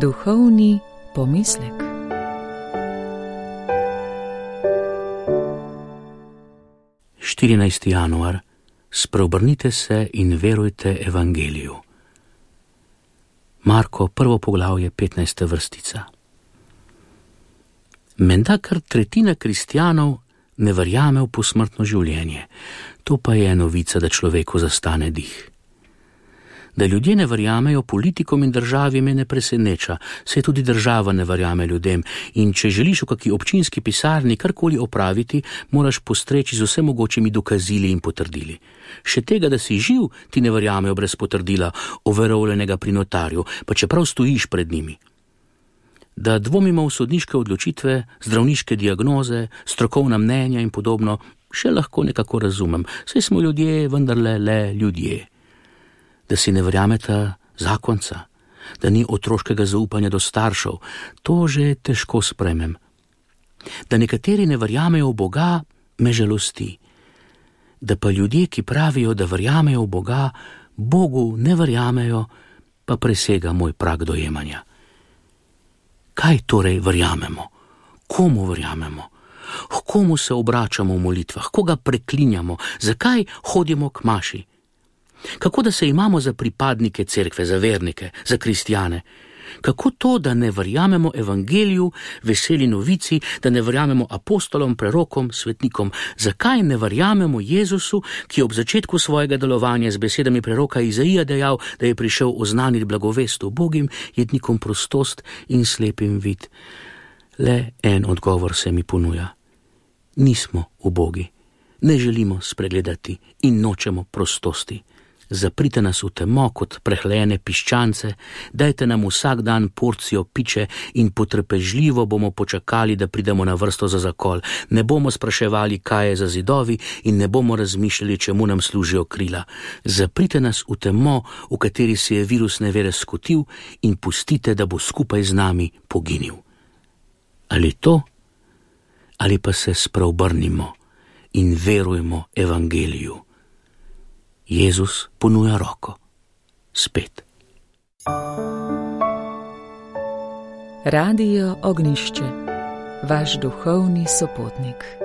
Duhovni pomislek. Januar. Spreobrnite se in verujte evangeliju. Marko, 1. poglavje, 15. vrstica. Menda kar tretjina kristjanov ne verjame v posmrtno življenje. To pa je novica, da človeku zastane dih. Da ljudje ne verjamejo politikom in državi, me ne preseneča, saj tudi država ne verjame ljudem in če želiš v kaki občinski pisarni karkoli opraviti, moraš postreči z vsemogočimi dokazili in potrdili. Še tega, da si živ, ti ne verjamejo brez potrdila, overovljenega pri notarju, pa čeprav stojiš pred njimi. Da dvomimo v sodniške odločitve, zdravniške diagnoze, strokovna mnenja in podobno, še lahko nekako razumem, saj smo ljudje vendarle le ljudje. Da si ne verjameta zakonca, da ni otroškega zaupanja do staršev, to že težko sprejmem. Da nekateri ne verjamejo v Boga, me žalosti. Da pa ljudje, ki pravijo, da verjamejo v Boga, Bogu ne verjamejo, pa presega moj prag dojemanja. Kaj torej verjamemo? Komu verjamemo? Komu se obračamo v molitvah? Koga preklinjamo? Zakaj hodimo k maši? Kako da se imamo za pripadnike cerkve, za vernike, za kristjane? Kako to, da ne verjamemo evangeliju, veseli novici, da ne verjamemo apostolom, prerokom, svetnikom? Zakaj ne verjamemo Jezusu, ki je ob začetku svojega delovanja z besedami preroka Izaija dejal, da je prišel oznaniti blagovest ubogim, jednikom prostost in slepim vid? Le en odgovor se mi ponuja. Nismo ubogi, ne želimo spregledati in nočemo prostosti. Zaprite nas v temo kot prehlajene piščance, dajte nam vsak dan porcijo piče in potrpežljivo bomo počakali, da pridemo na vrsto za zakol. Ne bomo spraševali, kaj je za zidovi in ne bomo razmišljali, čemu nam služijo krila. Zaprite nas v temo, v kateri se je virus nevere skotil in pustite, da bo skupaj z nami poginil. Ali to, ali pa se spreobrnimo in verujmo evangeliju. Jezus ponuja roko. Spet. Radio Ognjišče, vaš duhovni sopotnik.